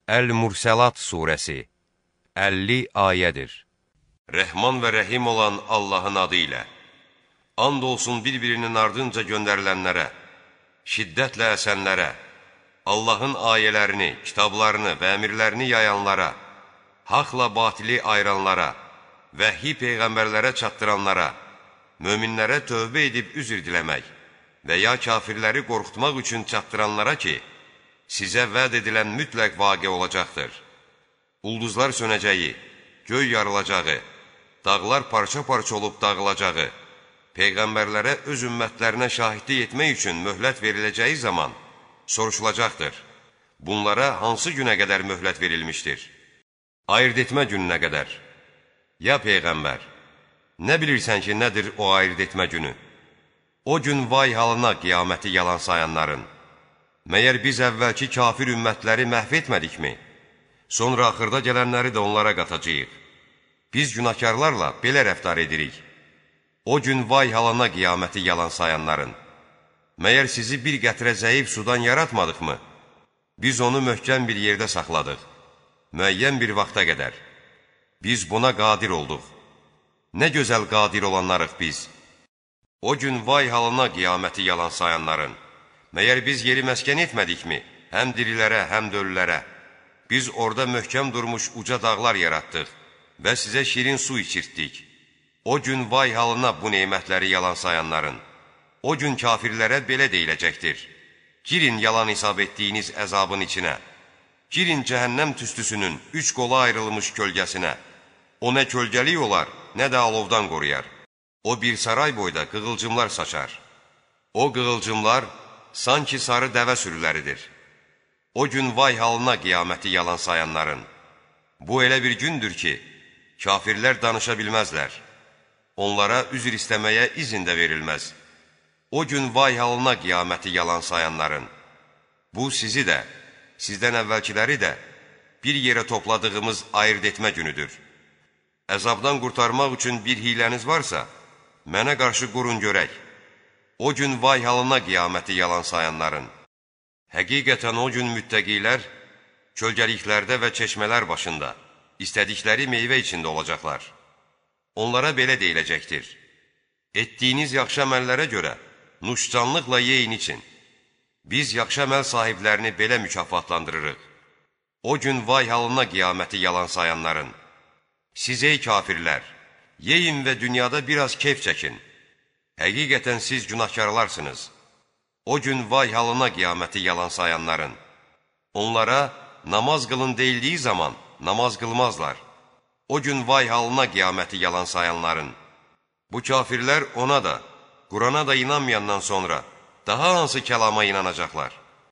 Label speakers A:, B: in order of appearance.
A: Əl-Mursəlat surəsi 50 ayədir. Rəhman və rəhim olan Allahın adı ilə. And olsun bir-birinin ardınca göndərilənlərə, şiddətlə əsənlərə, Allahın ayələrini, kitablarını və əmirlərini yayanlara, haqla batili ayıranlara, vəhyi peyğəmbərlərə çatdıranlara, möminlərə tövbə edib üzr diləmək və ya kafirləri qorxutmaq üçün çatdıranlara ki, sizə vəd edilən mütləq vaqe olacaqdır. Ulduzlar sönəcəyi, göy yarılacağı, dağlar parça-parça olub dağılacağı, peyğəmbərlərə öz ümmətlərinə şahidlik etmək üçün möhlət veriləcəyi zaman soruşulacaqdır. Bunlara hansı günə qədər möhlət verilmişdir? Ayırt etmə gününə qədər. Ya Peyğəmbər, nə bilirsən ki, nədir o ayırt etmə günü? O gün vay halına qiyaməti yalan sayanların. Məyər biz əvvəlki kafir ümmətləri məhv etmədikmi? Sonra axırda gələnləri də onlara qatacağıq. Biz günahkarlarla belə rəftar edirik. O gün vay halına qiyaməti yalan sayanların. Məyər sizi bir qətrə zəif sudan yaratmadıqmı? Biz onu möhkəm bir yerdə saxladıq, müəyyən bir vaxta qədər. Biz buna qadir olduq. Nə gözəl qadir olanlarıq biz. O gün vay halına qiyaməti yalan sayanların. Məyər biz yeri məskən etmədikmi? Həm dirilərə, həm də ölülərə. Biz orada möhkəm durmuş uca dağlar yaratdıq və sizə şirin su içirtdik. O gün vay halına bu neymətləri yalan sayanların. O gün kafirlərə belə deyiləcəkdir. Girin yalan hesab etdiyiniz əzabın içinə. Girin cəhənnəm tüstüsünün 3 qola ayrılmış kölgəsinə. O nə kölgəlik olar, nə də alovdan qoruyar. O bir saray boyda qığılcımlar saçar. O qığılcımlar sanki sarı dəvə sürüləridir. O gün vay halına qiyaməti yalan sayanların. Bu elə bir gündür ki, kafirlər danışa bilməzlər. Onlara üzr istəməyə izin də verilməz. O gün vay halına qiyaməti yalan sayanların. Bu sizi də, sizdən əvvəlkiləri də bir yerə topladığımız ayırt etmə günüdür. Əzabdan qurtarmaq üçün bir hiləniz varsa, mənə qarşı qurun görək. O gün vay halına qiyaməti yalan sayanların. Həqiqətən o gün müttəqilər kölgəliklərdə və çeşmələr başında, istədikləri meyvə içində olacaqlar. Onlara belə deyiləcəkdir. Etdiyiniz yaxşı əməllərə görə nuşcanlıqla yeyin için. Biz yaxşı əməl sahiblərini belə mükafatlandırırıq. O gün vay halına qiyaməti yalan sayanların. Siz ey kafirlər, yeyin və dünyada biraz keyf çəkin. Həqiqətən siz günahkarlarsınız. O gün vay halına qiyaməti yalan sayanların. Onlara namaz qılın deyildiyi zaman namaz qılmazlar. O gün vay halına qiyaməti yalan sayanların. Bu kafirlər ona da, Qurana da inanmayandan sonra daha hansı kəlama inanacaqlar?